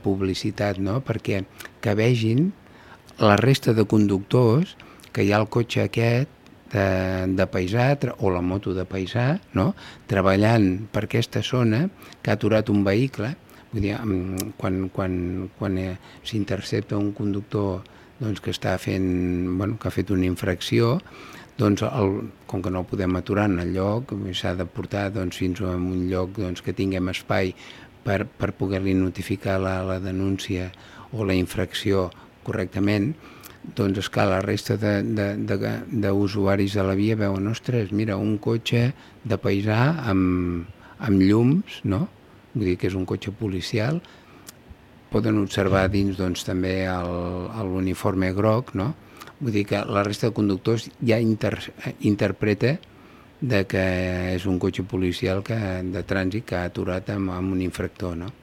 publicitat, no? Perquè que vegin la resta de conductors que hi ha el cotxe aquest de paisà o la moto de paisà, no? Treballant per aquesta zona que ha aturat un vehicle. Vull dir, quan s'intercepta un conductor doncs, que està fent, que ha fet una infracció, doncs com que no el podem aturar en el lloc, s'ha de portar fins a un lloc que tinguem espai per poder-li notificar la denúncia o la infracció correctament. Doncs, esclar, la resta d'usuaris de la via veuen, ostres, mira, un cotxe de paisà amb llums, no? Vull dir que és un cotxe policial. Poden observar dins també l'uniforme groc, no? Vull dir que la resta de conductors ja interpreta que és un cotxe policial de trànsit que ha aturat amb un infractor, no?